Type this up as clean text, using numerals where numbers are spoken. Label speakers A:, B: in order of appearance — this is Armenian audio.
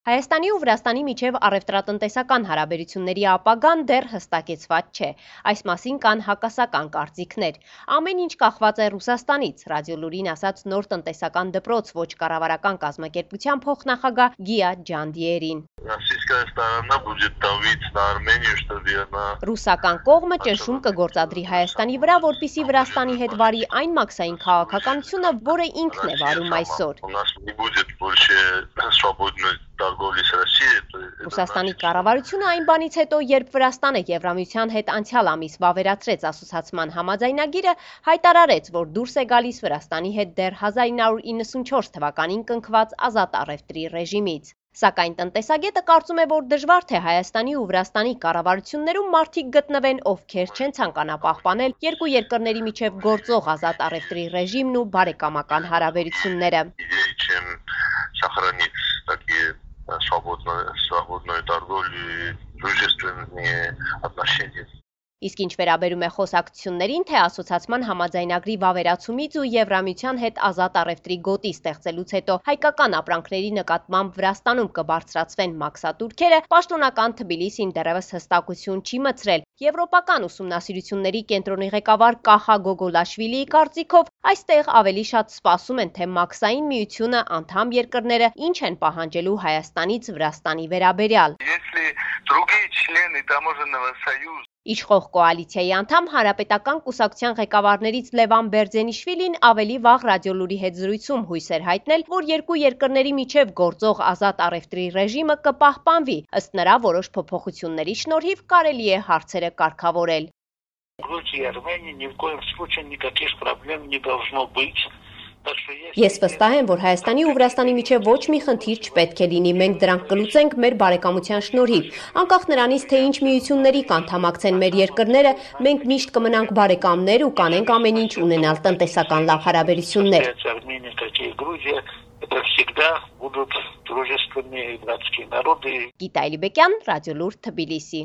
A: Հայաստանի ու Վրաստանի միջև առևտրատնտեսական հարաբերությունների ապագան դեռ հստակեցված չէ։ Այս մասին կան հակասական կարծիքներ։ Ամեն ինչ կախված է Ռուսաստանից, Ռադիոլուրին ասաց նոր տնտեսական դպրոց ոչ կառավարական կազմակերպության փոխնախագահ Գիա Ջանդիերին։ Ռուսական կողմը ճնշում կգործադրի Հայաստանի վրա, որպեսզի Վրաստանի հետ վարի այն մաքսային քաղաքականությունը, որը ինքն է վարում այսօր։ Ռուսաստանի կառավարությունը այն բանից հետո, երբ Վրաստանը Եվրամիության հետ անցյալ ամիս վավերացրեց ասոցացման համաձայնագիրը, հայտարարեց, որ դուրս է գալիս Վրաստանի հետ դեռ 1994 թվականին կնքված ազատ առևտրի ռեժիմից։ Սակայն տնտեսագետը կարծում է, որ դժվար թե Հայաստանի ու Վրաստանի կառավարություններում մարդիկ գտնվեն, ովքեր չեն ցանկանա պահպանել երկու երկրների միջև գործող ազատ առևտրի ռեժիմն ու բարեկամական հարաբերությունները։ Իսկ ինչ վերաբերում է խոսակցություններին, թե ասոցացման համաձայնագրի վավերացումից ու Եվրամիության հետ ազատ առևտրի գոտի ստեղծելուց հետո հայկական ապրանքների նկատմամբ Վրաստանում կբարձրացվեն մաքսատուրքերը, պաշտոնական Թբիլիսին դեռևս հստակություն չի մտցրել։ Եվրոպական ուսումնասիրությունների կենտրոնի ղեկավար Կախա Գոգոլաշվիլիի կարծիքով, այստեղ ավելի շատ սպասում են, թե մաքսային միությունը անդամ երկրները ինչ են պահանջելու Հայաստանից Վրաստանի վերաբերյալ։ Իշխող կոալիցիայի անդամ Հանրապետական կուսակցության ղեկավարներից Լևան Բերձենիշվիլին ավելի վաղ Ռադիոլուրի հետ զրույցում հույս էր հայտնել, որ երկու երկրների միջև գործող ազատ առևտրի ռեժիմը կպահպանվի, ըստ նրա որոշ փոփոխությունների շնորհիվ կարելի է հարցերը կարգավորել։ Ես վստահ եմ, որ Հայաստանի ու Վրաստանի միջև ոչ մի խնդիր չպետք է լինի, մենք դրանք կլուծենք մեր բարեկամության շնորհիվ, անկախ նրանից, թե ինչ միությունների կանդամակցեն մեր երկրները, մենք միշտ կմնանք բարեկամներ ու կանենք ամեն ինչ ունենալ տնտեսական լավ հարաբերություններ։ Գիտա Այլիբեկյան, Ռադիոլուր, Թբիլիսի։